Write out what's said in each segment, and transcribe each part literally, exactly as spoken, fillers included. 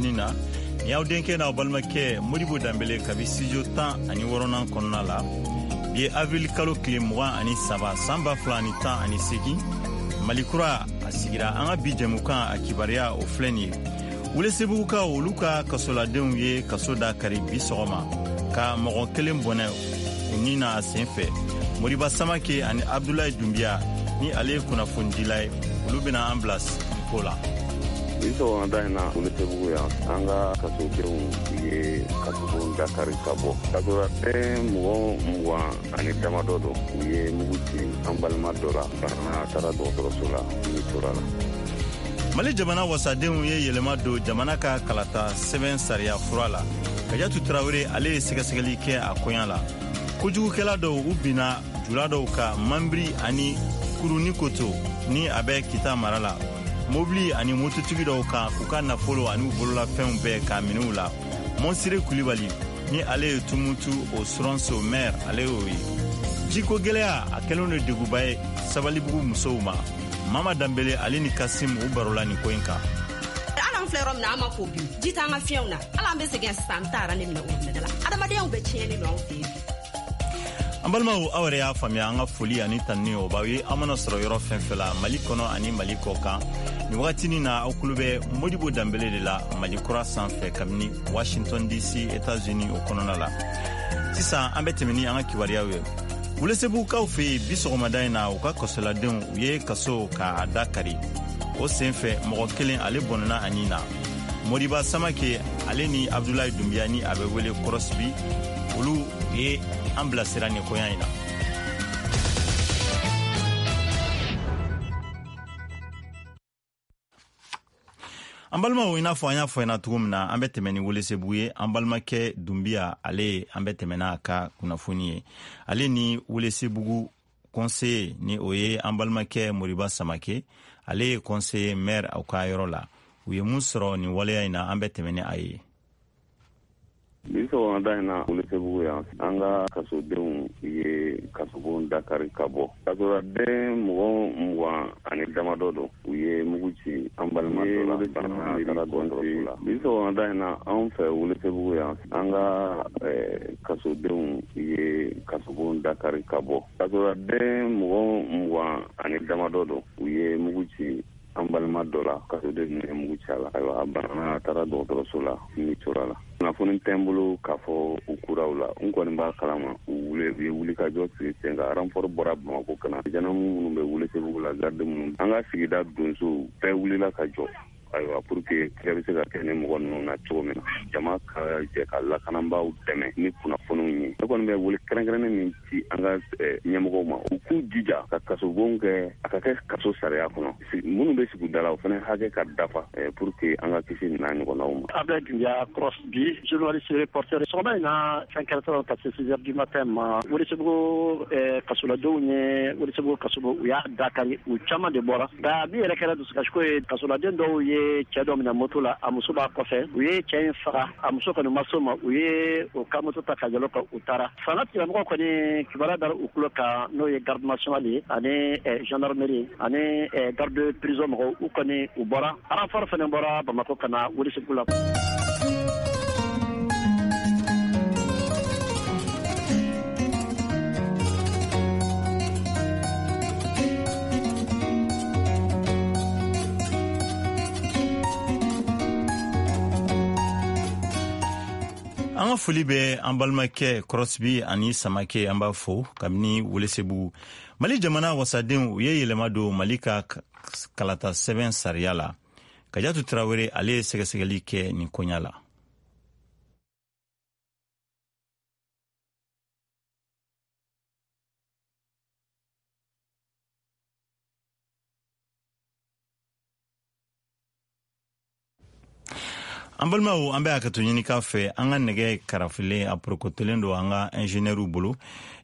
Ni na ni y'aw denkɛ n'aw balimakɛ Modibo Danbele kabi studio tan ani wɔɔrɔnan kɔnɔna la. Bi ye avril kalo tile mugan ani saba san ba fila ani tan ani seegin. Mali kura a sigira. An ka bi jɛmukan a kibaruya o filɛ nin ye: Welesebugukaw, olu ka kasoladenw ye kaso da kari bi sɔgɔma ka mɔgɔ kelen bɔnɛ u ni na a sen fɛ. Moriba Samake ani Abdulayi Dunbiya, ni ale ye kunnafonidila ye, olu bɛna an bila nin ko la. Bi sɔgɔmada in na, Welesebugu yan, an ka kasodenw ye kasobon dakari ka bɔ. Kasoladen mɔgɔ mugan ani damadɔ don. U ye mugu ci an balima dɔ la, bana taara dɔgɔtɔrɔso la, ni tora la. Mali jamana wasadenw ye yɛlɛma don jamana ka kalata sɛbɛn sariya fura la. Kajatu Tarawele, ale ye sɛgɛsɛgɛli kɛ a koɲa la. Kojugukɛla dɔw, u binna jula dɔw ka Manbiri ani Kurunikoto, ni a bɛ Kita mara la, mobili ani mototigi dɔw kan, k'u ka nafolo ani u bololafɛnw bɛɛ k'a minɛ u la. Mɔnsire Kulibali, ni ale ye Tumutu o Soronso maire, ale y'o ye. Jiko gwɛlɛya a kɛlen do deguba ye Sabalibugu musow ma. Mama Danbele, ale ni Kasim, u barola nin ko in kan. Hali an filɛ yɔrɔ min na, an ma ko bi ji t'an ka fiɲɛw na. Hali an bɛ sɛgɛn sisan, an bɛ taa aran de minɛ o la. Adamadenya bɛɛ tiɲɛnen don anw fɛ yen. An balimaw, aw yɛrɛ y'a faamuya, an ka foli ani tanuni o b'aw ye aw mana sɔrɔ yɔrɔ fɛn fɛn la Mali kɔnɔ ani Mali kɔ kan. Nin wagatinin na, aw kulo bɛ Modibo Danbele de la Mali kura sanfɛ kabini Washington D C, États-Unis o kɔnɔna la. Sisan an bɛ tɛmɛ ni an ka kibaruyaw ye. Welesebugukaw fɛ yen, bi sɔgɔmada in na, u ka kasoladenw, u ye kaso k'a da kari. O sen fɛ, mɔgɔ kelen, ale bɔnɛna a ni na. Moriba Samake, ale ni Abdulayi Dunbiya, ni a bɛ wele Kɔrɔsibi, olu ye an bilasira nin koɲa in na. An balimaw, i n'a fɔ an y'a fɔ ɲɛna cogo min na, an bɛ tɛmɛ ni Welesebugu ye. An balimakɛ Dunbiya, ale an bɛ tɛmɛ n'a ka kunnafoni ye. Ale ni Welesebugu conseiller, ni o ye an balimakɛ Moriba Samake, ale ye conseiller maire aw ka yɔrɔ la, u ye mun sɔrɔ nin waleya in na, an bɛ tɛmɛ ni a ye. Bi sɔgɔmada in na, Welesebugu yan, an ka kasodenw ye kasobon dakari ka bɔ. Kasoladen mɔgɔ mugan ani damadɔ don. U ye mugu ci an balima dɔ la, taara dɔgɔtɔrɔso la. Bi sɔgɔmada in na, anw fɛ Welesebugu yan, an ka kasodenw ye kasobon dakari ka bɔ. Kasoladen mɔgɔ mugan ani damadɔ don. U ye mugu ci an balima dɔ la, kasoden ye mugu ci a la. Ayiwa, a banana, taara dɔgɔtɔrɔso la, ni tora la. Kunnafoni tɛ n bolo k'a fɔ u kuraw la. N kɔni b'a kalama, u wuli, u ye wulikajɔ sigi sen kan. Renfort bɔra Bamako ka na. Gendarme minnu bɛ Welesebugu la, garde minnu, an ka sigida donsow bɛɛ wulila ka jɔ. Ayiwa, pour que kɛlɛ bɛ se ka kɛ ni mɔgɔ ninnu na cogo min na, jama ka jɛ ka lakanabaaw dɛmɛ ni kunnafoniw ye. Ne kɔni bɛ wele kɛrɛnkɛrɛnnen min ci an ka ɲɛmɔgɔw ma, u k'u jija ka kasobon kɛ, a ka kɛ kaso sariya kɔnɔ. Minnu bɛ sigi da la, o fana hakɛ ka dafa pour que an ka kisi nin n'a ɲɔgɔnnaw ma. Abdoulaye Doumbia Crosby, journaliste reporter. Sɔgɔma in na, cinq heures trente ka se six heures du matin ma, Welesebugu kasoladenw ye Welesebugu kasobo, u y'a dakari, u caman de bɔra. Nka min yɛrɛ kɛra dusukasiko ye, kasoladen dɔw ye cɛ dɔ minɛ moto la, a muso b'a kɔfɛ, u ye cɛ in faga. A muso kɔni ma s'o ma, u ye o ka moto ta ka yɛlɛ kan, u taara. Fanga tigilamɔgɔw kɔni, kibaruya dara u tulo kan, n'o ye garde nationale ye ani gendarmerie ani garde prison mɔgɔw, u kɔni u bɔra. Renfort fana bɔra Bamakɔ ka na Welesebugu la. An ka foli bɛ an balimakɛ Crosby ani Samake, an b'a fo kabini Welesebugu. Mali jamana wasadenw, u ye yɛlɛma don Mali ka kalata sɛbɛn sariya la. Kajatu Tarawele, ale ye sɛgɛsɛgɛli kɛ nin koɲa la. An balimaw, an bɛ hakɛto ɲini k'a fɛ, an ka nɛgɛ karafilen a porokotolen don an ka ingénieurw bolo.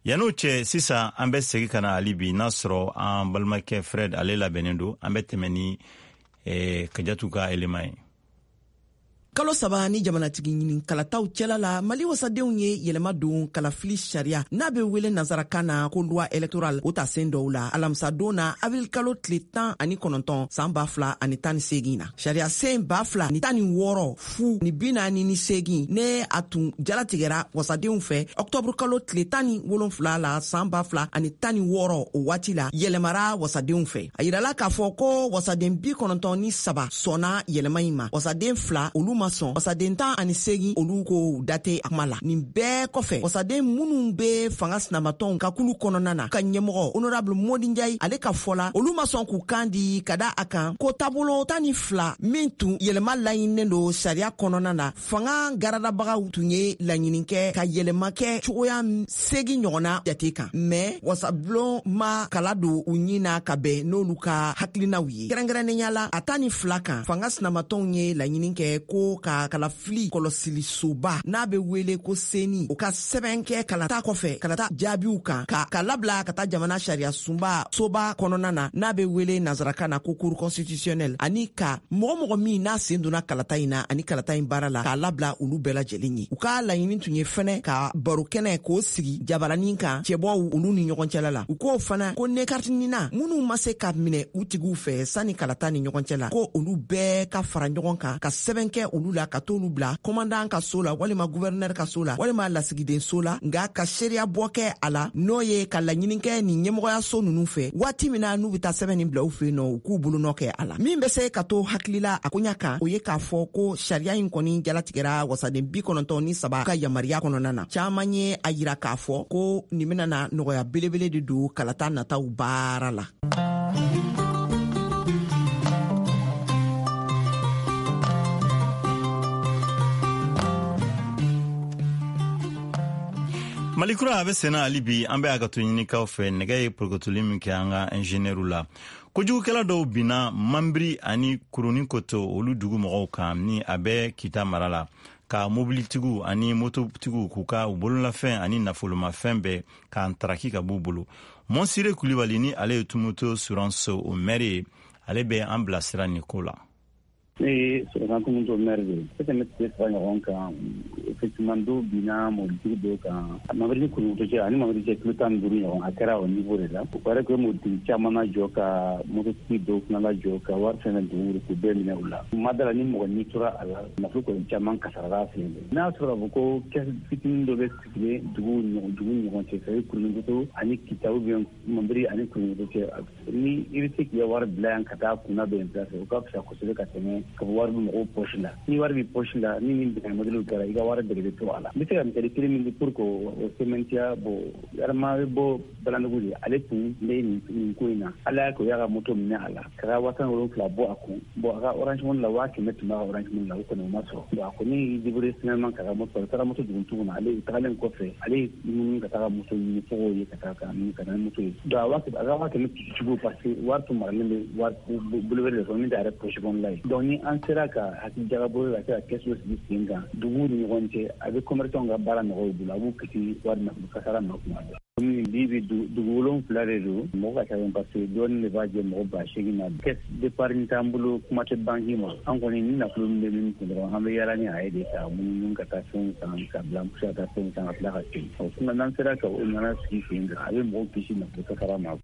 Yan'o cɛ, sisan an bɛ segin ka na hali bi, n'a sɔrɔ an balimakɛ Fred, ale labɛnnen don, an bɛ tɛmɛ ni eh, Kajatu ka élément ye. Kalo saba ni jamanatigi ɲini kalataw cɛla la, Mali wasadenw ye yɛlɛma don kalafili sariya n'a bɛ wele nansarakan na ko loi électorale o ta sen dɔw la alamisadon na, avril kalo tile tan ani kɔnɔntɔn san ba fila ani tan ni seegin na. Sariya sen ba fila ni tan ni wɔɔrɔ fu ni bi naani ni seegin ne a tun jalatigɛra wasadenw fɛ ɔktɔburu kalo tile tan ni wolonfila la san ba fila ani tan ni wɔɔrɔ, o waati la yɛlɛmara wasadenw fɛ. A yirala k'a fɔ ko wasaden bi kɔnɔntɔn ni saba sɔnna yɛlɛma in ma, wasaden fila olu ma sɔn, wasaden tan ani seegin olu ko date a kuma la. Nin bɛɛ kɔfɛ, wasaden minnu bɛ fanga sinamatɔnw ka kulu kɔnɔna na ka ɲɛmɔgɔ honorable Modi Ndiaye, ale ka fɔ la, olu ma sɔn k'u kan di ka da a kan ko taabolo tan ni fila min tun yɛlɛma laɲininen don sariya kɔnɔna na, fanga garadabagaw tun ye laɲini kɛ ka yɛlɛma kɛ cogoya seegin ɲɔgɔnna jate kan, mɛ wasabulon ma kala don u ɲin na ka bɛn n'olu ka hakilinaw ye. Kɛrɛnkɛrɛnnenya la, a tan ni fila kan, fanga sinamatɔnw ye laɲini kɛ ko ka kalafili kɔlɔsilisoba n'a bɛ wele ko seni, o ka sɛbɛn kɛ kalata kɔfɛ kalata jaabiw kan ka ka labila ka taa jamana sariya sunba soba kɔnɔna na n'a bɛ wele nansarakan na ko cour constitutionnelle, ani ka mɔgɔ mɔgɔ min n'a sen donna kalata in na ani kalata in baara la, k'a labila olu bɛɛ lajɛlen ye. U ka laɲini tun ye fɛnɛ ka baro kɛnɛ k'o sigi jabaranin kan cɛbɔw olu ni ɲɔgɔn cɛla la. U k'o fana ko ne kariti nina minnu ma se ka minɛ u tigiw fɛ sanni kalata ni ɲɔgɔn cɛ la, ko olu bɛɛ ka fara ɲɔgɔn kan ka sɛbɛn kɛ olu la ka t'olu bila commandant ka so la walima gouverneur ka so la walima lasigiden so la, nka ka seereya bɔ kɛ a la, n'o ye ka laɲini kɛ nin ɲɛmɔgɔyaso ninnu fɛ, waati min na n'u bɛ taa sɛbɛn nin bila u fɛ yen nɔ, u k'u bolonɔ kɛ a la. Min bɛ se ka to hakilila a koɲa kan, o ye k'a fɔ ko sariya in kɔni jalatigɛra wasaden bi kɔnɔntɔn ni saba ka yamaruya kɔnɔna na. Caman ye a yira k'a fɔ ko nin bɛna na nɔgɔya belebele de don kalata nataw baara la. Malikura a bɛ senna hali bi. An bɛ a ka to ɲinikaw fɛ. Nɛgɛ ye porokotoli min kɛ an ka ingénieurw la, kojugukɛla dɔw binna Manbiri ani Kurunin Koto olu dugu mɔgɔw kan ni a bɛ Kita mara la, ka mobilitigiw ani mototigiw k'u ka u bololafɛn ani nafolomafɛn bɛɛ k'an taraki ka b'u bolo. Mɔnsire Kulibali ni ale ye Tumuto Suranso o maire ye, ale bɛ an bilasira nin ko la. Ne ye Sɔrɔkan Tumuto maire de ye. Tɛmɛ tile saba ɲɔgɔn kan, effectivement, dɔw binna mobilitigi dɔw kan Mamadi ni Kurukoto cɛ ani Mamadi cɛ kilo tan ni duuru ɲɔgɔn. A kɛra o niveau de la. O kɛra ko mobilitigi caman lajɔ, ka mototigi dɔw fana lajɔ, ka wari fɛn fɛn dugu k'u bɛɛ minɛ u la. Ma da la ni mɔgɔ ni tora a la, nafolo kɔni caman kasarala a sen fɛ. N'a sɔrɔ k'a fɔ ko caisse fitinin dɔ bɛ sigilen dugu dugu ni ɲɔgɔn cɛ, c'est Kurukoto ani Kita ou bien Mambiri ani Kurukoto cɛ, ni i bɛ se k'i ka wari bila yan ka taa kunna bɛ yen fɛ, o ka fisa kosɛbɛ ka tɛmɛ ka fɔ wari bɛ mɔgɔw poche la. Ni wari bɛ poche la, ni nin binkanni modèle kɛra, i ka wari bɛɛ de bɛ to a la. N bɛ se ka misali kelen min di pour que o sɛmɛntiya. Bon, Adama bɛ bɔ Balandugu de, ale tun bɛ nin nin ko in na. Ala y'a kɛ o y'a ka moto minɛ a la ka ka waa tan wolonfila bɔ a kun. Bon, a ka Orange Money la, waa kɛmɛ tun b'a ka Orange Money la, o kɔni o ma sɔrɔ. Bon, a kɔni y'i débrouillé finalement ka ka moto, a taara moto dugutigiw ma. Ale tagalen kɔfɛ, ale ye munumunu ka taga moto ɲini fo k'o ye ka taa ka ka na ni moto ye. Donc a waa a ka waa kɛmɛ cogo, parce que wari tun maralen bɛ wari bolo wɛrɛ de kɔnɔ min t'a yɛrɛ poche kɔnɔla ye. Donc ni an sera ka hakili jagabɔ ka se ka kɛsu sigi sen kan duguw ni ɲɔgɔn cɛ, a bɛ commerçant ka baara nɔgɔya u bolo, a b'u kisi wari nafolo kasara ma kuma bɛɛ. Komi bi bi dugu wolonfila de don, mɔgɔ ka ca, parce que dɔɔnin de b'a jɛ mɔgɔ ba seegin na. Caisse d'épargne t'an bolo, kuma tɛ banque ma. An kɔni ni nafolo min bɛ min kun dɔrɔn, an bɛ yaala ni a ye de ka munumunu ka taa fɛnw san ka bila, an bɛ se ka taa fɛnw san ka tila ka segin. Ɔ sinon n'an sera ka o ɲɔgɔnna sigi sen kan, a bɛ mɔgɔw kisi nafolo kasara ma.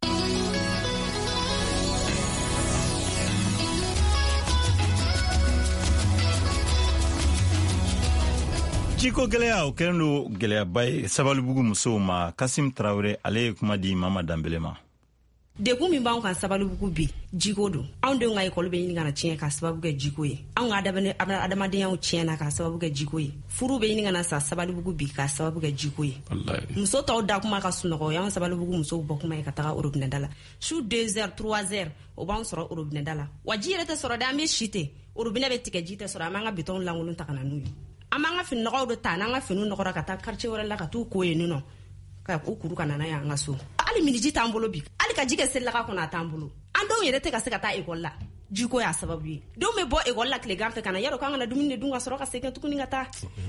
Jiko gɛlɛya o kɛlen don gɛlɛyaba ye Sabalibugu musow ma. Kasim Tarawele, ale ye kuma di Mama Danbele ma. Degun min b'anw kan Sabalibugu bi, jiko don. Anw denw ka ekɔli bɛ ɲini ka na tiɲɛ k'a sababu kɛ jiko ye. Anw ka adamadenyaw tiɲɛna k'a sababu kɛ jiko ye. Furu bɛ ɲini ka na sa Sabalibugu bi k'a sababu kɛ jiko ye. Muso tɔw da kuma ka sunɔgɔ, o y'anw Sabalibugu musow bɔ kuma ye ka taga orobinɛda la su deux heures, trois heures, o b'anw sɔrɔ orobinɛda la. Wa ji yɛrɛ tɛ sɔrɔ dɛ, an bɛ si ten, orobinɛ bɛ tigɛ, ji tɛ sɔrɔ. An b'an ka bitɔnw lankolon ta ka na n'u ye, an b'an ka fini nɔgɔw de ta n'an ka finiw nɔgɔra ka taa quartier wɛrɛ la ka t'u ko yen nɔ ka u kuru ka na n'a ye an ka so. Hali miniji t'an bolo bi, hali ka ji kɛ selilaga kɔnɔ a t'an bolo. An denw yɛrɛ tɛ ka se ka taa ekɔli la, jiko y'a sababu ye. Denw bɛ bɔ ekɔli la tilegan fɛ ka na, yarɔ k'an kana dumuni de dun ka sɔrɔ ka segin tuguni ka taa,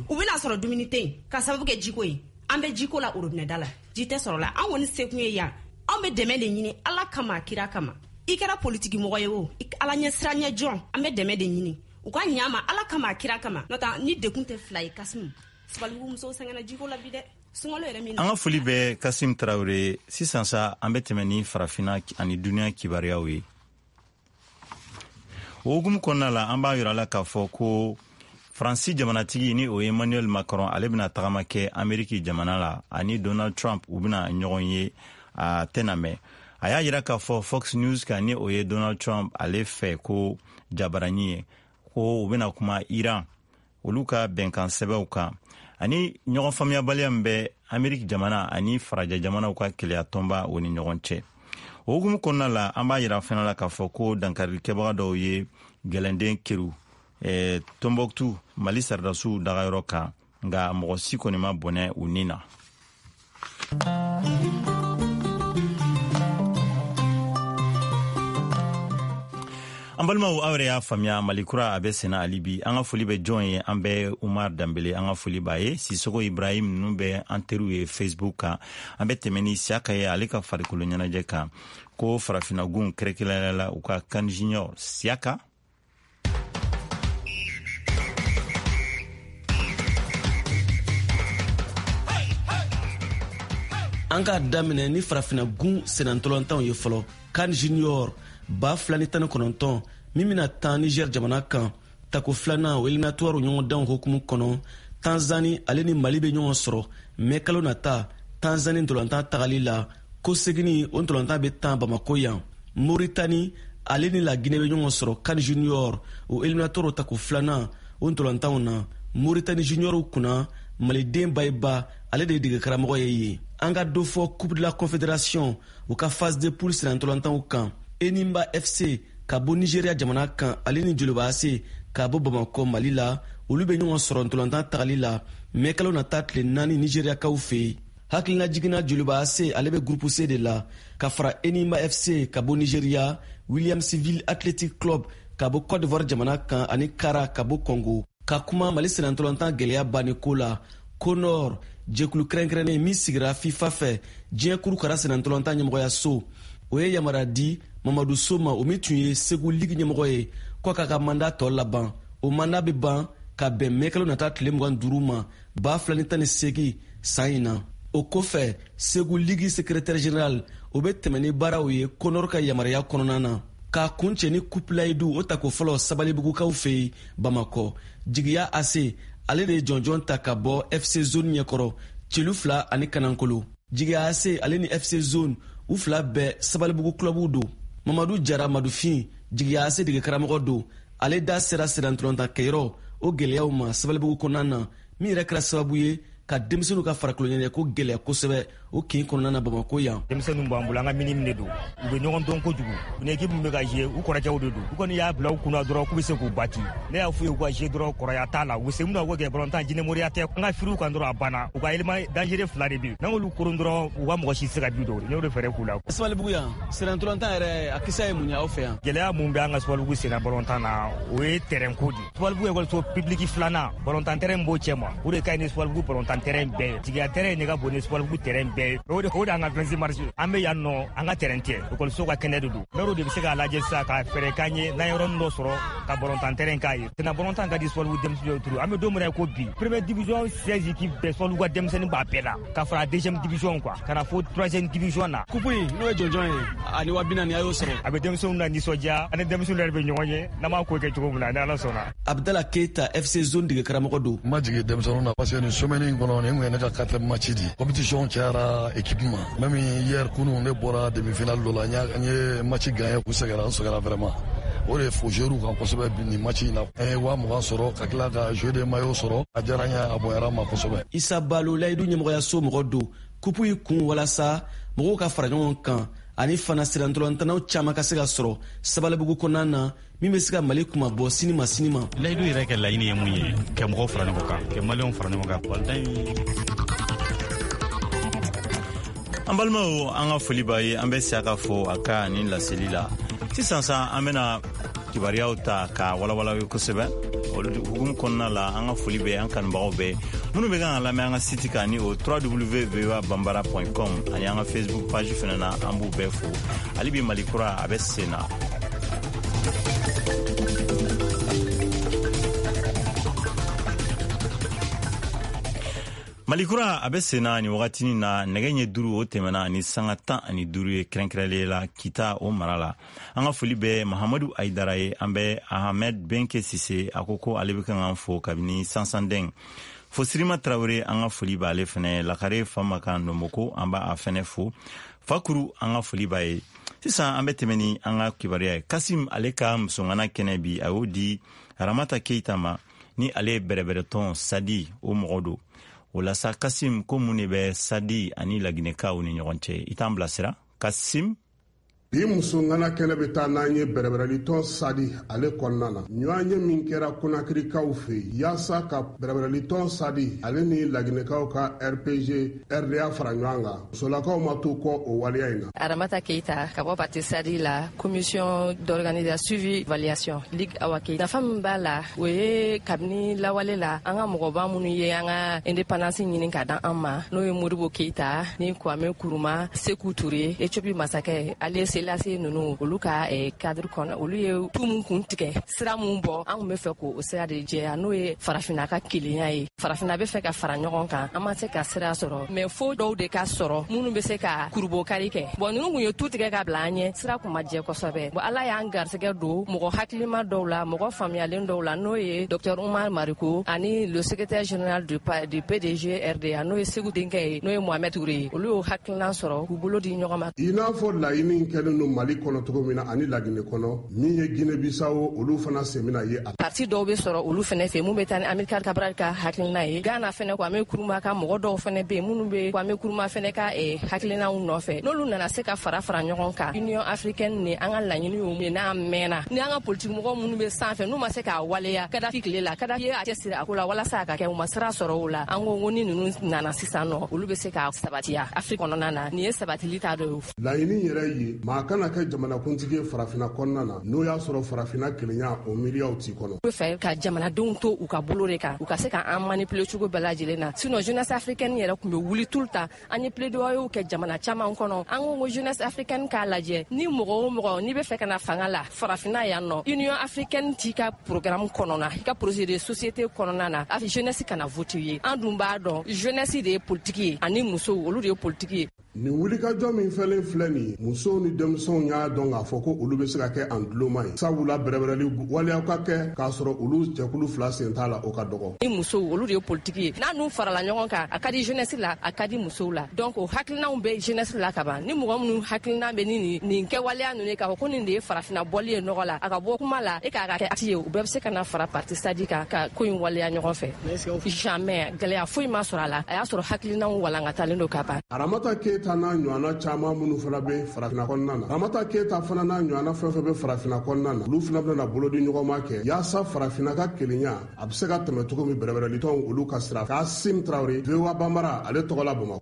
u bɛna sɔrɔ dumuni tɛ yen ka sababu kɛ jiko ye. An bɛ jiko la orobinɛda la, ji tɛ sɔrɔ la. An kɔni sekun ye yan, anw bɛ dɛmɛ de ɲini Ala kama, kira kama. I kɛra politiki mɔgɔ ye o, ala ɲɛ siran ɲɛ jɔn, an bɛ dɛmɛ de ɲini. U ka ɲa ma Ala kama, a kira kama. N'o tɛ ni dekun tɛ fila ye Kasimu. Sabalibugu musow sɛgɛnna jiko la bi dɛ. Sunkalo yɛrɛ min. An ka foli bɛ Kasim Tarawele. Sisan sa, an bɛ tɛmɛ ni farafinna ani duniya kibaruyaw ye. O hukumu kɔnɔna la, an b'a yira la k'a fɔ ko Faransi jamanatigi, ni o ye Emmanuel Macron, ale bɛna tagama kɛ Ameriki jamana la ani Donald Trump, u bɛna ɲɔgɔn ye a tɛna mɛn. A y'a yira k'a fɔ Fox News kan, ni o ye Donald Trump ale fɛ ko jabarani ye, ko u bɛna kuma Iran olu ka bɛnkan sɛbɛnw kan ani ɲɔgɔn faamuyabaliya min bɛ Ameriki jamana ani farajɛ jamanaw ka keleya tɔnba o ni ɲɔgɔn cɛ. O hukumu kɔnɔna la, an b'a yira fana la k'a fɔ ko dankarikɛbaga dɔw ye gɛlɛnden keru eh, Tombouctou, Mali sɔrɔdasiw dagayɔrɔ kan, nka mɔgɔ si kɔni ma bɔnɛ u ni na. An balimaw, aw yɛrɛ y'a faamuya, Mali kura a bɛ senna hali bi. An ka foli bɛ jɔn ye? An bɛ Umar Danbele, an ka foli b'a ye, Sisoko Ibrahim, ninnu bɛ an teriw ye Facebook kan. An bɛ tɛmɛ ni Siyaka ye, ale ka farikolo ɲɛnajɛ kan, ko farafinnagun kɛrɛnkɛrɛnnenya la u ka CAN Junior. Siyaka. An k'a daminɛ ni farafinagun sennantɔlantanw ye fɔlɔ. CAN Junior ba fila ni tan ni kɔnɔntɔn min bɛna tan Niger jamana kan, tako filanan o éliminatoire ɲɔgɔndanw hukumu kɔnɔ, Tanzani ale ni Mali bɛ ɲɔgɔn sɔrɔ mɛ kalo nata Tanzani ntolantan tagali la. Koseginni o ntolantan bɛ tan Bamako yan. Moritani ale ni Laginɛ bɛ ɲɔgɔn sɔrɔ CAN Junior o éliminatoire tako filanan o ntolantanw na. Moritani juniorw kunna, Maliden Bayiba, ale de ye dege karamɔgɔ ye yen. An ka dɔ fɔ Coupe de la Confédération u ka phase de poule sennantɔlantanw kan. Enimba F C ka bɔ Nigeria jamana kan, ale ni Joliba A C ka bɔ Bamakɔ Mali la, olu bɛ ɲɔgɔn sɔrɔ ntolantan tagali la mɛ kalo nata tile naani Nigeriakaw fɛ yen. Hakilina jiginna, Joliba A C ale bɛ groupe C de la ka fara Enimba F C ka bɔ Nigeria, Williamsville Athletic Club ka bɔ Côte d'Ivoire jamana kan ani Kara ka bɔ Congo. Ka kuma Mali sennantɔlantan gɛlɛya banni ko la, CONOR, jɛkulu kɛrɛnkɛrɛnnen min sigira FIFA fɛ, diɲɛ kurukara sennantɔlantan ɲɛmɔgɔyaso, o ye yamaruya di Mamadu So ma, o min tun ye Segu Ligue ɲɛmɔgɔ ye, ko k'a ka mandat tɔ laban. O mandat bɛ ban ka bɛn mɛkalo nata tile mugan duuru ma ba fila ni tan ni seegin san in na. O kɔfɛ, Segu Ligue secrétaire général, o bɛ tɛmɛ ni baaraw ye CONOR ka yamaruya kɔnɔna na. K'a kuncɛ ni Coupe Layidu o tako fɔlɔ Sabalibugukaw fɛ yen Bamakɔ, Jigiya A C ale de ye jɔnjɔn ta ka bɔ F C Zone ɲɛkɔrɔ celu fila ani kanankolo. Jigiya A C ale ni F C Zone, u fila bɛɛ Sabalibugu clubw don. Mamadu Jara Madufin, Jigiya A C dege karamɔgɔ don, ale da sera sennantolatan kɛyɔrɔ o gɛlɛyaw ma Sabalibugu kɔnɔna na, min yɛrɛ kɛra sababu ye ka denmisɛnninw ka farikolo ɲɛnajɛ ko gɛlɛya kosɛbɛ o kin kɔnɔna na Bamako yan. Denmisɛnninw b'an bolo, an ka minime de don, u bɛ ɲɔgɔn dɔn kojugu. U ni équipe min bɛ ka jouer, u kɔrɔkɛw de don. U kɔni y'a bila u kunna dɔrɔn k'u bɛ se k'u bati. Ne y'a f'u ye, u ka jouer dɔrɔn, kɔrɔya t'a la, u bɛ se mun na, u k'o kɛ. Balontan jinɛmoriya tɛ. An ka firiw kan dɔrɔn, a banna. U ka élément dangereux fila de bɛ yen, n'an y'olu koron dɔrɔn, u ka mɔgɔ si tɛ se ka bi don. Ne y'o de fɛɛrɛ k'u la. Sabalibugu yan, sennantolatan yɛrɛ a kisa ye mun ye aw fɛ yan? Gɛlɛya mun bɛ an ka Sabalibugu senna balontan na, o ye terrain ko de ye. Sabalibugu ekɔliso public filanan, balontan terrain b'o cɛ ma, o de ka ɲi ni Sabalibugu balontan terrain bɛɛ ye. Jigiya terrain de ka bon ni Sabalibugu terrain bɛɛ ye. O de o de y'an ka vingt-six mars. An bɛ yan nɔ, an ka terrain tɛ, ekɔliso ka kɛnɛ de don. Maire de bɛ se k'a lajɛ sisan ka fɛɛrɛ k'an ye n'an ye yɔrɔnin dɔ sɔrɔ ka balontan terrain k'a ye. Senna balontan ka di Sabalibugu denmisɛnninw ye trop. An bɛ don min na i ko bi, première division seize équipes bɛɛ, Sabalibugu ka denmisɛnnin b'a bɛɛ la, ka fara deuxième division quoi, ka na fo troisième division na. Coupe in n'o ye jɔnjɔn ye ani wa bi naani, a y'o sɔrɔ. A bɛ denmisɛnninw na nisɔndiya, ani denmisɛnninw yɛrɛ bɛ ɲɔgɔn ye n'an b'a ko kɛ cogo min na, ni Ala sɔnna. Abdala Keita, F C Zone dege karamɔgɔ don. N ma jigin denmisɛnninw na parce que nin semaine in kɔnɔ, nin kun ye ne ka quatrième match di. Compétition cayara équipe ma. Même hier, kunun, ne bɔra demi finale dɔ la, n ye match gagné, u sɛgɛnna, n sɛgɛnna vraiment. O de fo joueur kan kosɛbɛ nin match in na. An ye wa mugan sɔrɔ ka tila ka jeu de maillot sɔrɔ. A diyara n ye, a bonyara n ma kosɛbɛ. Isa Balo, Layidu ɲɛmɔgɔyaso mɔgɔ don, kupu yi kun walasa mɔgɔw ka fara ɲɔgɔn kan ani fana sennantolantanaw caman ka se ka sɔrɔ Sabalibugu kɔnɔna na, min bɛ se ka Mali kuma bɔ sini ma sini ma. Layidu yɛrɛ kɛ laɲini ye mun ye? Ka mɔgɔw fara ɲɔgɔn kan, ka Maliyɛnw fara ɲɔgɔn kan balontan. An balimaw, an ka foli b'a ye. An bɛ Siyaka fo a ka nin laseli la. Sisan sa, an bɛna kibaruyaw ta ka walawala ye kosɛbɛ. Olu hukumu kɔnɔna la, an ka foli bɛ an kanubagaw bɛɛ minnu bɛ kan ka lamɛn an ka site kan, ni o w w w point voa bambara point com ani an ka Facebook page fana na, an b'u bɛɛ fo. Hali bi, Mali kura a bɛ sen na. Malikura a bɛ senna ni wagatinin na, nɛgɛ ɲɛ duuru o tɛmɛna ani sanga tan ani duuru ye, kɛrɛnkɛrɛnlen la Kita o mara la. An ka foli bɛ Mahamadu Ayidara ye. An bɛ Ahmed Benke Sise, a ko ko ale bɛ kan k'an fo kabini Sansandɛn. Fo Sirima Tarawele, an ka foli b'ale fɛnɛ. Lakare Fama kan Nomoko, an b'a fɛnɛ fo. Fakuru, an ka foli b'a ye. Sisan an bɛ tɛmɛ ni an ka kibaruya ye. Kasim ale ka musongana kɛnɛ bi, a y'o di Ramata Keita ma, ni ale ye bɛrɛbɛrɛtɔn Sadi o mɔgɔ don. O la sa, Kasim, ko mun de bɛ Sadi ani Laginɛkaw ni ɲɔgɔn cɛ? I t'an bilasira, Kasim. Bi musongana kɛnɛ bɛ taa n'an ye bɛrɛbɛrɛlitɔn Sadi ale kɔnɔna na. Ɲɔgɔnye min kɛra Konakirikaw fɛ yen yaasa ka bɛrɛbɛrɛlitɔn Sadi ale ni Laginɛkaw ka R P G R D A fara ɲɔgɔn kan, musolakaw ma to kɔ o waleya in na. Aramata Keita ka bɔ parti Sadi la, commission d'organisation, suivi, évaluation, ligue Awake. Nafa min b'a la, o ye kabini lawale la, an ka mɔgɔba minnu ye an ka indépendance ɲini ka dan an ma, n'o ye Modibo Keita ni Kwame Nkrumah, Seku Ture, Ethiopie masakɛ Ale Selase ninnu, olu ka cadre kɔnɔ, olu ye tu mun kun tigɛ, sira mun bɔ, an kun bɛ fɛ k'o sira de jɛya, n'o ye farafinna ka kelenya ye. Farafinna bɛ fɛ ka fara ɲɔgɔn kan, an ma se ka sira sɔrɔ, mais fo dɔw de ka sɔrɔ minnu bɛ se ka kurubokari kɛ. Bon, ninnu kun ye tu tigɛ ka bila an ɲɛ, sira kun ma jɛ kosɛbɛ. Bon, Ala y'an garisɛgɛ don mɔgɔ hakilima dɔw la, mɔgɔ faamuyalen dɔw la, n'o ye docteur Umar Mariko ani le secrétaire général du, du P D G R D A, n'o ye Segu denkɛ ye, n'o ye Mohamed Touré ye. Olu y'o hakilina sɔrɔ k'u bolo di ɲɔgɔn ma. I n'a fɔ laɲini kɛlen don Mali kɔnɔ cogo min na ani Laginɛ kɔnɔ, min ye Guinée Bissau, olu fana sen bɛna ye a. Parti dɔw bɛ sɔrɔ olu fɛnɛ fɛ mun bɛ taa ni Amilcar Cabral ka hakilina ye. Ghana fɛnɛ, Kwame Nkrumah ka mɔgɔ dɔw fɛnɛ bɛ yen minnu bɛ Kwame Nkrumah fɛnɛ ka eh, hakilinaw nɔfɛ. N'olu nana se ka fara fara ɲɔgɔn kan, Union africaine ni an ka laɲini ye n'a mɛnna, ni an ka politiki mɔgɔ minnu bɛ sanfɛ n'u ma se k'a waleya, Kadafi tile la, Kadafi ye a cɛsiri a ko la walasa a ka kɛ, u ma sira sɔrɔ o la. An ko ko ni ninnu nana sisan nɔ, olu bɛ se ka sabatiya Afiriki kɔnɔna na. Nin ye sabatili ta dɔ ye. Laɲini yɛrɛ ye maa kana kɛ jamanakuntigi ye farafinna kɔnɔna na, n'o y'a sɔrɔ farafinna kelenya o miiriyaw t'i kɔnɔ. U bɛ fɛ ka jamanadenw to u ka bolo de kan, u ka se ka an manipuler cogo bɛɛ lajɛlen na. Sinon jeunesse africaine yɛrɛ tun bɛ wuli tout le temps. An ye plaidoyer kɛ jamana caman kɔnɔ. An ko ko jeunesse africaine k'a lajɛ, ni mɔgɔ o mɔgɔ n'i bɛ fɛ ka na fanga la farafinna yan nɔ, Union africaine t'i ka programme kɔnɔna, i ka projet de société kɔnɔna na, a jeunesse kana voter ye. An dun b'a dɔn, jeunesse de ye politique ye, ani musow, olu de ye politique ye. Nin wulikajɔ min fɛlen filɛ nin ye, musow ni denmisɛnw y'a dɔn k'a fɔ ko olu bɛ se ka kɛ an duloma ye, sabula bɛrɛbɛrɛli waleyaw ka kɛ k'a sɔrɔ olu jɛkulu fila sen t'a la, o ka dɔgɔ. Ni musow, olu de ye politiki ye. N'a n'u farala ɲɔgɔn kan, a ka di jeunesse la, a ka di musow la. Donc o hakilinaw bɛ jeunesse la ka ban. Ni mɔgɔ minnu hakilina bɛ ni nin nin kɛwaleya ninnu ye, k'a fɔ ko nin de ye farafinna bɔli ye nɔgɔ la, a ka bɔ kuma la e k'a ka kɛ acte ye, u bɛɛ bɛ se ka na fara parti Sadi kan ka ko in waleya ɲɔgɔn fɛ. Jamais gɛlɛya foyi ma sɔrɔ a la. A y'a sɔrɔ hakilinaw walankatalen don ka ban. Aramata Keyita n'a ɲɔgɔnna caman minnu fana bɛ farafinna kɔnɔna na, Ramata Keyita fana n'a ɲɔgɔnna fɛn fɛn bɛ farafinna kɔnɔna na, olu fana bɛna bolodi ɲɔgɔnma kɛ yaasa farafinna ka kelenya a bɛ se ka tɛmɛ cogo min, bɛrɛbɛrɛlitɔnw olu ka sira. Kasim Tarawele, V O A Banbara ale tɔgɔ la, Bamakɔ.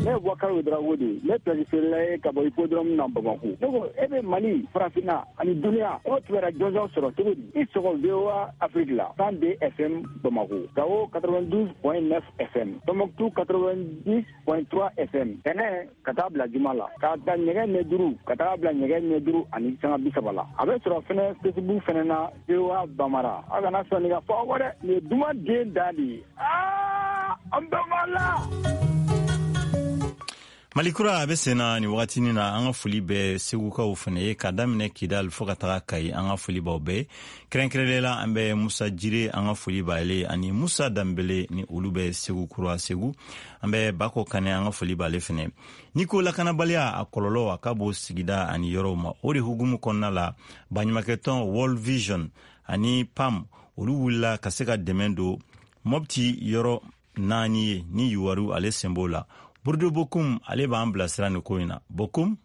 Ne ye Bubakari Ouédraogo de ye, ne place feerela ye ka bɔ hippodrome na Bamako. Ne ko e bɛ Mali, farafinna ani duniya, e b'o kibaruya jɔnjɔn sɔrɔ cogo di? I sɔgɔ V O A Afrique la, cent deux F M Bamako, Gao quatre-vingt-douze point neuf F M, Tombouctou quatre-vingt-dix point trois F M. Tɛnɛ ka taa bila juma la, k'a ta nɛgɛ ɲɛ duuru ka taa bila nɛgɛ ɲɛ duuru ani sanga bi saba la. A bɛ sɔrɔ fɛnɛ Facebook fɛnɛ na, V O A Bamara. Aw kana sɔn nin ka fɔ aw kɔ dɛ, nin ye duman den dan de ye. Aa, an bɛɛ b'a la. Malikura a bɛ sen na nin wagatinin na. An ka foli bɛ Segukaw fana ye, ka daminɛ Kidal fo ka taga Kayi. An ka foli b'aw bɛɛ, kɛrɛnkɛrɛnnenya la an bɛ Musa Jire, an ka foli b'ale ani Musa Danbele, ni olu bɛ Segu kura Segu. An bɛ Bako Kanɛ, an ka foli b'ale fana. N'i ko lakanabaliya, a kɔlɔlɔ a ka bon sigida ani yɔrɔw ma. O de hukumu kɔnɔna la, baɲumankɛtɔn World Vision ani PAM, olu wulila ka se ka dɛmɛ don Mɔpti yɔrɔ naani ye, ni Yuwaru ale sen b'o la. Burudo Bokum ale b'an bilasira nin ko in na. Bokum.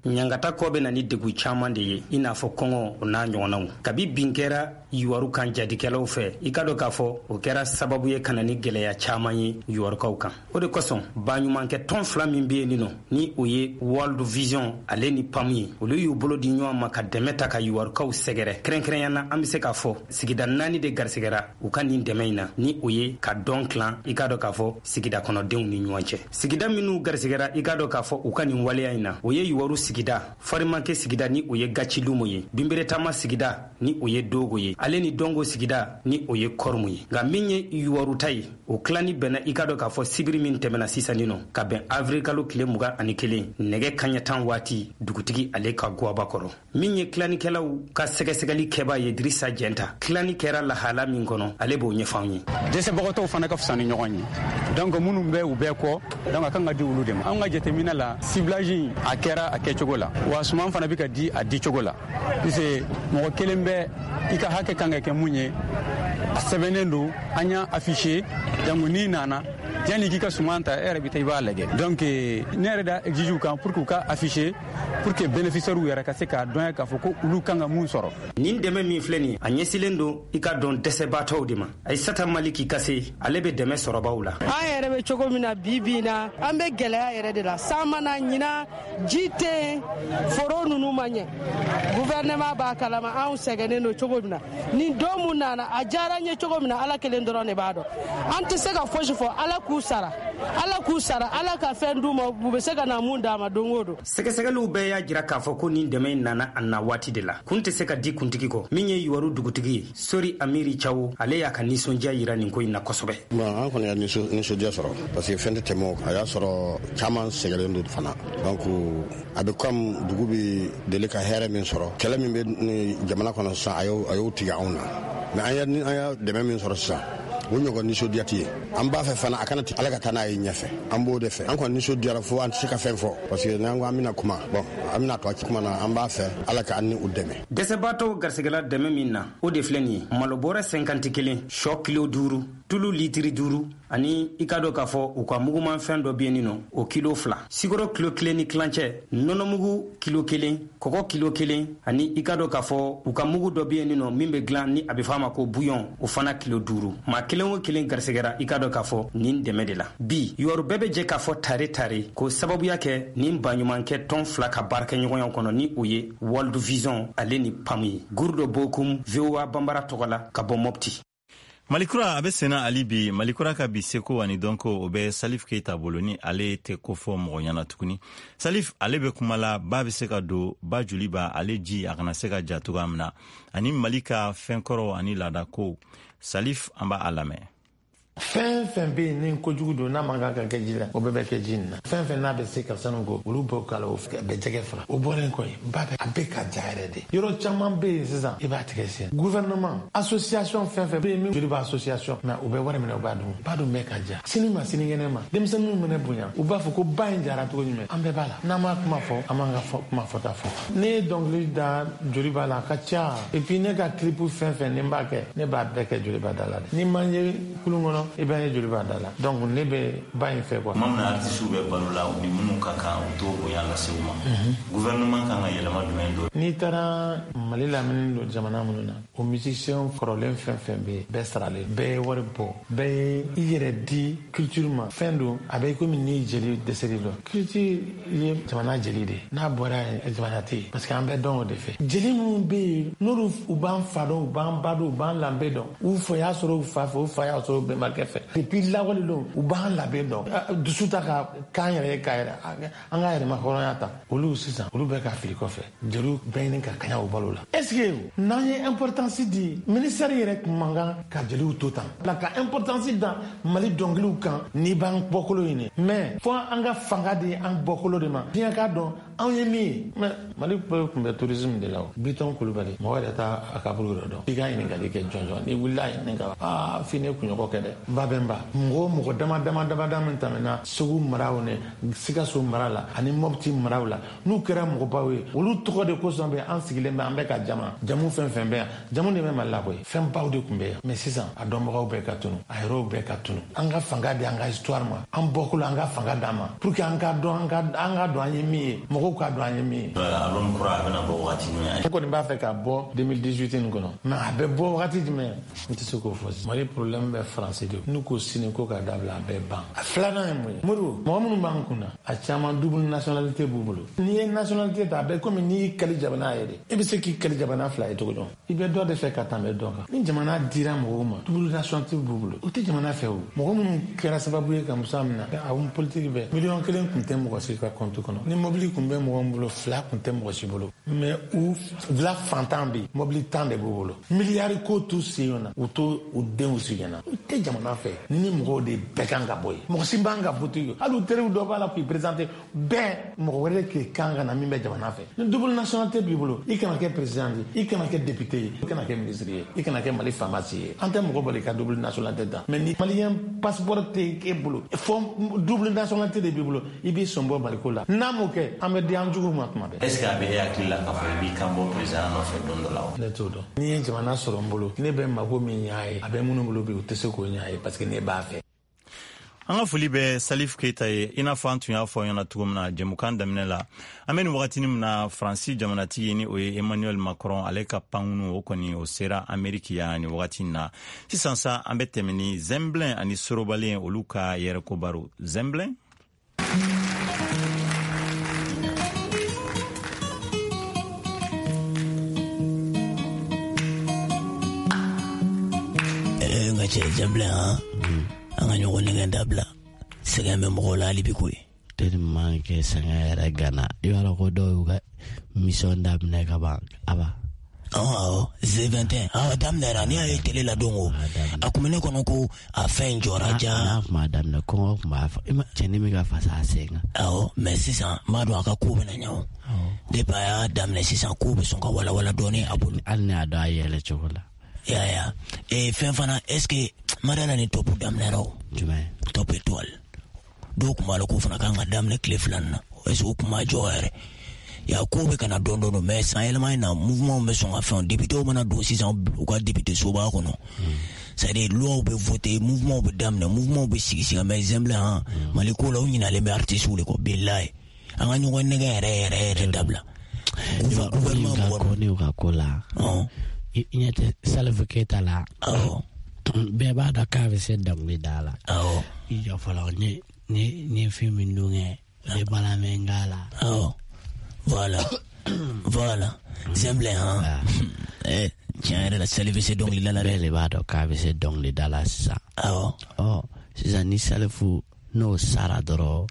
Ɲangata kɔ bɛ na ni degu caaman de ye, i n'a fɔ kɔngɔ, o n'a ɲɔgɔnnaw. Kabi bin kɛra yuwaru kan jadikɛlaw fɛ, i ka dɔn k'a fɔ o kɛra sababu ye ka na ni gwɛlɛya caaman ye yuwarukaw kan. O de kosɔn baɲumankɛ tɔn fila min be yen nɔ, ni o ye World Vision ale ni PAM ye, olu y'u bolo di ɲɔgɔn ma ka dɛmɛ ta ka yuwarukaw sɛgɛrɛ. Kɛrɛnkɛrɛnya na, an be se k'a fɔ sigida naani de garisɛgɛra u ka nin dɛmɛ in na, ni o ye ka dɔn tilan, i k'a dɔn k'a fɔ sigida kɔnɔdenw ni ɲɔgɔn cɛ. Sigida minw garisɛgɛra, i k'a dɔn k'a fɔ u ka nin waleya in na, o ye yuwaru sigida, Farimanke sigida ni o ye Gacilumu ye, Binberetama sigida ni o ye Dogo ye, ale ni Dongo sigida ni o ye Kɔrɔmu ye. Nka min ye Yuwaru ta ye, o tilani bɛnna i ka dɔn k'a fɔ sibiri min tɛmɛna sisan nin nɔ, ka bɛn avril kalo tile mugan ani kelen nɛgɛ kaɲɛ tan waati dugutigi ale ka gwaba kɔrɔ. Min ye tilanikɛlaw ka sɛgɛsɛgɛli kɛbaa ye Dirisa Jɛnta, tilani kɛra lahala min kɔnɔ, ale b'o ɲɛfɔ anw ye. Dɛsɛbagatɔw fana ka fisa ni ɲɔgɔn ye, donc minnu bɛ u bɛɛ kɔ, donc a kan ka di olu de ma. Anw ka jateminɛ la, ciblage a kɛra a kɛcogo la, wa suman fana bɛ ka di a dicogo la, puisque mɔgɔ kelen bɛ i ka hakɛ kan ka kɛ mun ye, a sɛbɛnnen don, an y'a affiché, donc n'i nana yanni k'i ka suman ta, e yɛrɛ bɛ taa i b'a lajɛ. Donc ne yɛrɛ da exige u kan pour que u ka affiché, pour que bénéficiaires yɛrɛ ka se k'a dɔn k'a fɔ ko olu kan ka mun sɔrɔ. Nin dɛmɛ min filɛ nin ye, a ɲɛsilen don i ka dɔn dɛsɛbaatɔw de ma. Ayisata Maliki Kase, ale bɛ dɛmɛ sɔrɔbaw la. An yɛrɛ bɛ cogo min na bi bi in na, an bɛ gɛlɛya yɛrɛ de la. San mana ɲinan, ji tɛ yen, foro ninnu ma ɲɛ. Gouvernement b'a kalama anw sɛgɛnnen don cogo min na. Nin don mun nana, a diyara n ye cogo min na, Ala kelen dɔrɔn de b'a dɔn. An tɛ se ka fosi fɔ, Ala k'u sara, Ala k'u sara, Ala ka fɛn d'u ma, u bɛ se ka na mun d'a ma don o don. Sɛgɛsɛgɛliw bɛɛ y'a jira k'a fɔ ko nin dɛmɛ in nana a na waati de la. Kun tɛ se ka di kuntigi kɔ. Min ye Yuwaru dugutigi ye, Sori Amiri Cawo, ale y'a ka nisɔndiya yira nin ko in na kosɛbɛ. Bon, an kɔni y'a nisɔndiya sɔrɔ parce que fɛn tɛ tɛmɛ o kan. A y'a sɔrɔ caman sɛgɛnnen don fana, donc a bɛ comme dugu bɛ deli ka hɛrɛ min sɔrɔ, kɛlɛ min bɛ jamana kɔnɔ sisan, a y'o a y'o tigɛ anw na. Mais an ye an y'a dɛmɛ min sɔrɔ sisan, o ɲɔgɔn nisɔndiya tɛ yen. An b'a fɛ fana a kana Ala ka taa n'a ye ɲɛfɛ, an b'o de fɛ. An kɔni nisɔndiyara fo an tɛ se ka fɛn fɔ, parce que n'an ko an bɛna kuma, bon, an bɛna to a kuma na, an b'a fɛ Ala ka an ni u dɛmɛ. Dɛsɛbaatɔw garisɛgɛla dɛmɛ min na, o de filɛ nin ye: malo bɔrɛ cinquante kelen, sɔ kilo duuru, tulu litiri duuru, ani i ka dɔn k'a fɔ u ka mugumanfɛn dɔ bɛ yen nɔ, o kilo fila, sikoro kilo kelen ni tilancɛ, nɔnɔmugu kilo kelen, kɔgɔ kilo kelen, ani i ka dɔn k'a fɔ u ka mugu dɔ bɛ yen nɔ min bɛ dilan ni a bɛ fɔ a ma ko bouillon, o fana kilo duuru. Maa kelen o kelen garisɛgɛra i ka dɔn k'a fɔ nin dɛmɛ de la. Bi Yuwaru bɛɛ bɛ jɛ k'a fɔ tare tare k'o sababuya kɛ nin baɲumankɛ tɔn fila ka baarakɛɲɔgɔnya kɔnɔ, ni o ye World Vision ale ni PAM ye. Gurudo Bokum, V O A Banbara tɔgɔ la ka bɔ Mopti. Malikura a bɛ senna ali bi. Malikura ka bi seko ani dɔnko, o bɛ Salif Keita bolo, ni ale tɛ ko fɔ mɔgɔ ɲɛna tuguni. Salif ale bɛ kuma la, ba bɛ se ka don ba joli ba ale ji a kana se ka ja cogoya min na, ani Mali ka fɛnkɔrɔ ani laadako. Salif, an b'a lamɛn. Fɛn fɛn bɛ yen ni kojugu don n'a man kan ka kɛ ji la, o bɛɛ bɛ kɛ ji in na. Fɛn fɛn n'a bɛ se ka sanu ko, olu b'o k'a la, o bɛ jɛgɛ faga. O bɔlen kɔ yen, ba bɛ a bɛ ka ja yɛrɛ de. Yɔrɔ caman bɛ yen sisan, i b'a tigɛ sen. Gouvernement, association fɛn fɛn bɛ yen min joli b'a association, mais u bɛ wari minɛ, u b'a dun. Ba dun bɛ ka ja. Sini ma sinikɛnɛ ma, denmisɛnninw minɛ bonya, u b'a fɔ ko ba in jara cogo jumɛn? An bɛɛ b'a la. N'an m'a kuma fɔ, an b'an ka kuma fɔta fɔ. Ne ye dɔnkili da joli b'a la, a ka ca. Et puis ne ka clip fɛn fɛn ni n b'a kɛ, ne b'a bɛɛ kɛ joli b'a da la. Ni man ye kulun kɔnɔ, i b'a ye joli b'a da la. Donc ne bɛ ba in fɛ quoi. Tuma min na artisiw bɛ balo la, u ni minnu ka kan, u t'o bonya lase u ma. Gouvernement kan ka yɛlɛma jumɛn don? N'i taara Mali lamini don jamana minnu na, o musicien kɔrɔlen fɛn fɛn bɛ yen, bɛɛ saralen, bɛɛ ye wari bɔ, bɛɛ ye i yɛrɛ di culture ma. Fɛn don a bɛ komi n'i jeli dɛsɛli dɔn. Culture ye jamana jeli de ye, n'a bɔra yen jamana tɛ yen, parce que an bɛɛ dɔn o de fɛ. Jeli minnu bɛ yen n'olu u b'an fa dɔn, u b'an ba dɔn, u b'an lanbe dɔn, u fa y'a sɔrɔ u fa fɛ, u fa y'a sɔrɔ u bɛnbakɛ fɛ. Depuis lawale don u b'an labɛn dɔn, dusu ta ka k'an yɛrɛ ye, k'a yɛrɛ an ka yɛrɛma hɔrɔnya ta. Olu sisan olu bɛ ka fili kɔfɛ, jeliw bɛɛ ɲini ka kaɲa u balo la. Est ce que n'an ye importance di ministère yɛrɛ tun man kan ka jeliw to tan la, ka importance da Mali dɔnkiliw kan n'i b'an bɔkolo ɲini, mais fo an ka fanga di an bɔkolo de ma, diɲɛ k'a dɔn anw ye min ye. Mais Mali tun bɛ tourisme de la o. Bitɔn Kulubali mɔgɔ yɛrɛ t'a a kaburu yɛrɛ dɔn, i ka ɲininkali kɛ jɔnjɔn, n'i wulila ɲininka aa f'i ne kunɲɔgɔn kɛ dɛ. Babɛnba mɔgɔ mɔgɔ dama dama dama dama min tɛmɛna Segu maraw ni Sikaso mara la ani Mopti maraw la, n'u kɛra mɔgɔbaw ye, olu tɔgɔ de kosɔn bɛ an sigilen bɛ, an bɛ ka jama jamu fɛn fɛn bɛ yan, jamu de bɛ Mali la koyi, fɛnbaw de tun bɛ yan. Mais sisan a dɔnbagaw bɛɛ ka tunu, a yɛrɛw bɛɛ ka tunu. An ka fanga di an ka histoire ma, an bɔkolo an ka fanga d'an ma pour que an ka dɔn, an ka an ka dɔn an ye min ye, mɔgɔw k'a dɔn an ye min ye. Album kura a bɛna bɔ wagati jumɛn? Ne kɔni b'a fɛ ka bɔ deux mille dix-huit nin kɔnɔ, mais a bɛ bɔ wagati jumɛn, n tɛ se k'o fɔ. Mali problème bɛ Faransi de de. N'u ko sini ko k'a dabila, a bɛɛ ban. A filanan ye mun ye? Modibo, mɔgɔ minnu b'an kun na, a caman double nationalité b'u bolo. N'i ye nationalité ta, a bɛ komi n'i y'i kali jamana ye de. E bɛ se k'i kali jamana fila ye cogo jumɛn? I bɛ dɔ de fɛ ka tɛmɛ dɔ kan. Ni jamana dira mɔgɔw ma, double nationalité b'u bolo, o tɛ jamana fɛ o. Mɔgɔ minnu kɛra sababu ye ka Musa minɛ, a politique bɛɛ, miliyɔn kelen tun tɛ mɔgɔ si ka compte kɔnɔ. Ni mobili tun bɛ mɔgɔ min bolo, fila tun tɛ mɔgɔ si bolo. Mais u bila fantan bɛ yen, mobili tan de b'u bolo. Miliyari ko t'u sen na, u t'u denw sigi na. U tɛ jamana fɛ. Ni ni mɔgɔw de bɛɛ kan ka bɔ yen. Mɔgɔ si b'an ka vote ye. Hali u teriw dɔ b'a la k'i présenter, bɛɛ mɔgɔ wɛrɛ k'i kan ka na min bɛ jamana fɛ. Ni double nationalité b'i bolo, i kana kɛ président ye, i kana kɛ député ye, i kana kɛ ministre ye, i kana kɛ Mali faama si ye. An tɛ mɔgɔ bali ka double nationalité ta. Mais ni malien passeport tɛ e bolo, fo double nationalité de b'i bolo, i b'i sɔn bɔ Maliko la. N'an m'o kɛ, an bɛ di an juguw ma tuma bɛɛ. Est ce que a bɛ e hakili la k'a fɔ i b'i kan bɔ président nɔfɛ don dɔ la wa? Ne t'o dɔn. N'i ye jamana sɔrɔ n bolo, ne bɛ mako min ɲ'a ye, a bɛ minnu bolo bi, u tɛ se k'o ɲ'a ye parce que ne b'a fɛ. An ka foli bɛ Salif Keita ye. I n'a fɔ an tun y'a fɔ ɲɛna cogo min na jɛmukan daminɛ la, an bɛ nin wagatinin min na, Faransi jamanatigi ni o ye Emmanuel Macron, ale ka pankunu o kɔni o sera Ameriki yan nin wagati na. Sisan sa, an bɛ tɛmɛ ni Zɛnbilɛn ani Sorobalen olu ka yɛrɛko baro. Zɛnbilɛn. N ka cɛ Zɛnbilɛn, han, an ka ɲɔgɔn nɛgɛn dabila. Sɛgɛn bɛ mɔgɔw la hali bi koyi. Tellement que sɛgɛn yɛrɛ gana. I b'a dɔn ko dɔw y'u ka mission daminɛ ka ban aba. Awɔ, Z vingt et un, awɔ, daminɛra. N'i y'a ye télé la don o, a kun bɛ ne kɔnɔ ko a fɛn in jɔra ja. N'a kun b'a daminɛ, kɔngɔ kun b'a fɔ cɛnin bɛ ka fasa a sen kan. Awɔ, mais sisan n b'a dɔn a ka ko bɛna ɲɛ o. Depuis a y'a daminɛ sisan, ko bɛ sɔn ka walawala dɔɔnin a bolo. Hali ni y'a dɔn a yɛlɛ cogo la. Ya ya, ee fɛn fana, est ce que Mariana ni top daminɛra o? Jumɛn? Top étoile. Dɔw kun b'a la k'o fana kan ka daminɛ tile fila nin na. Est ce que o kun ma jɔ yɛrɛ? Ya ko bɛ ka na dɔɔnin dɔɔnin, mais san yɛlɛma in na, mouvement bɛ sɔn ka fɛn. Député mana don sisan u ka député soba kɔnɔ. C'est à dire loi bɛ voter, mouvement bɛ daminɛ, mouvement bɛ sigi sigi. Mais Zɛnbilɛn, han, Mali ko la, u ɲinalen bɛ artistes de kɔ bilayi. An ka ɲɔgɔn nɛgɛn yɛrɛ yɛrɛ yɛrɛ dabila. Gouvernement ko ne ka ko la. I ɲɛ tɛ Salif Keita la. Awɔ. Bɛɛ b'a dɔn k'a bɛ se dɔnkili da la. Awɔ. I jɔ fɔlɔ, ne ne ne fɛn min dun kɛ, o de bala mɛ n k'a la. Awɔ. Voilà. Voilà. Zɛnbilɛn, han. Eh, tiɲɛ yɛrɛ la, Salif bɛ se dɔnkili da la dɛ. Bɛɛ de b'a dɔn k'a bɛ se dɔnkili da la sisan. Awɔ. Ɔ, sisan ni Salifu n'o sara dɔrɔn.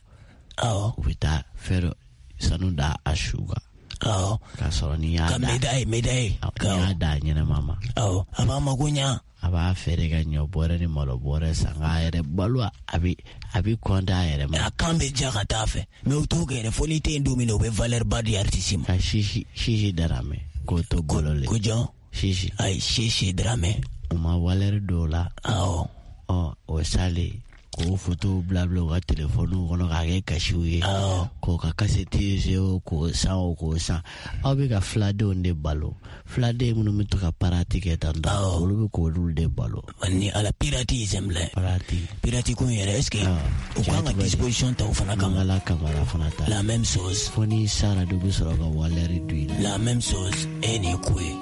Awɔ. U bɛ taa fɛn dɔ sanu da a su kan. Awɔ. K'a sɔrɔ n'i y'a da. Ka médaille, médaille. N'i y'a da ɲɛnama ma. Awɔ, a b'a mago ɲa. A b'a feere ka ɲɔ bɔrɛ ni malo bɔrɛ san k'a yɛrɛ balo, a bɛ a bɛ kɔntan a yɛrɛ ma. A kan bɛ ja ka taa fɛ, mais o t'o kɛ yɛrɛ, fo n'i tɛ yen don min na, o bɛ valeur ba di artiste ma. Ka sisi sisi Daramɛ k'o to golo le. Ko jɔn? Sisi. Ayi, Sisi Daramɛ. U ma valeur don o la. Awɔ. Ɔ, o salen k'o fotow bila bila u ka telefɔniw kɔnɔ k'a kɛ kasiw ye. K'o ka kasɛti se o k'o san o k'o san. Aw bɛ ka filadenw de balo. Filaden minnu bɛ to ka parati kɛ tan tɔ, olu bɛ k'olu de balo. Ni ala pirati Zɛnbilɛn. Pirati. Pirati ko in yɛrɛ, est ce que u kan ka disposition ta o fana kama? Mangala Kamara fana ta. La même chose. Fo n'i sara de bɛ sɔrɔ ka valeur don i la. La même chose, e nin ye ko ye.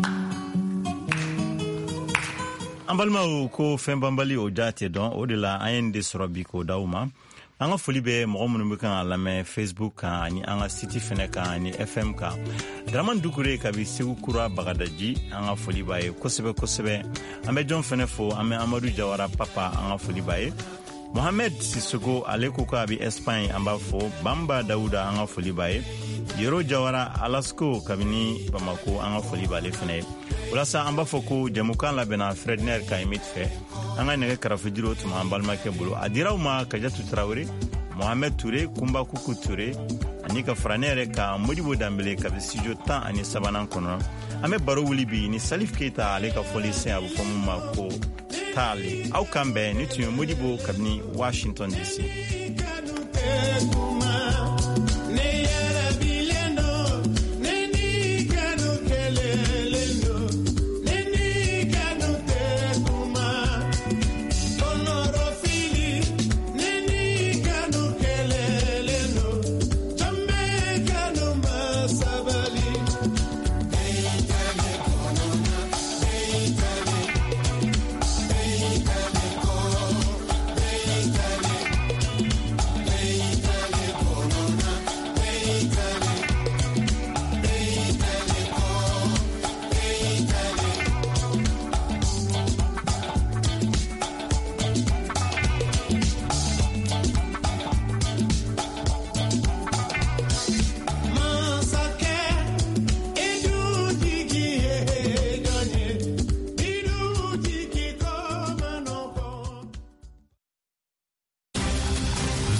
An balimaw, ko fɛn banbali o ja tɛ dɔn. O de la an ye nin de sɔrɔ bi k'o d'aw ma. An ka foli bɛ mɔgɔ minnu bɛ kan ka lamɛn Facebook kan ani an ka site fɛnɛ kan ani F M kan. Dramane Dukure kabi Segu Kura Bagadaji, an ka foli b'a ye kosɛbɛ kosɛbɛ. An bɛ jɔn fɛnɛ fo, an bɛ Amadu Jawara Papa, an ka foli b'a ye. Mohamed Sissoko, ale ko k'a bɛ Espagne, an b'a fo. Bamba Dawuda, an ka foli b'a ye. Yero Jawara Alasko kabini Bamako, an ka foli b'ale fɛnɛ ye. Walasa an b'a fɔ ko jɛmukan labɛnna Fredner Kayimit fɛ. An ka nɛgɛ karafejuru tun b'an balimakɛ bolo. A dira aw ma Kajatu Tarawele, Mohamed Touré, Kunba Kuku Touré, ani ka fara ne yɛrɛ kan Modibo Danbele kabi studio tan ani sabanan kɔnɔ. An bɛ baro wuli bi ni Salif Keita, ale ka fɔli sen a bɛ fɔ mun ma ko taale. Aw kan bɛn. Ni tun ye Modibo kabini Washington D C.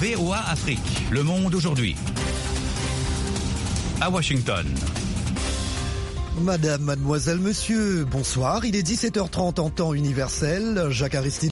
V O A Afrique, Le Monde aujourd'hui. À Washington. Madame, mademoiselle, monsieur, bonsoir. Il est dix-sept heures trente en temps universel. Jacques Aristide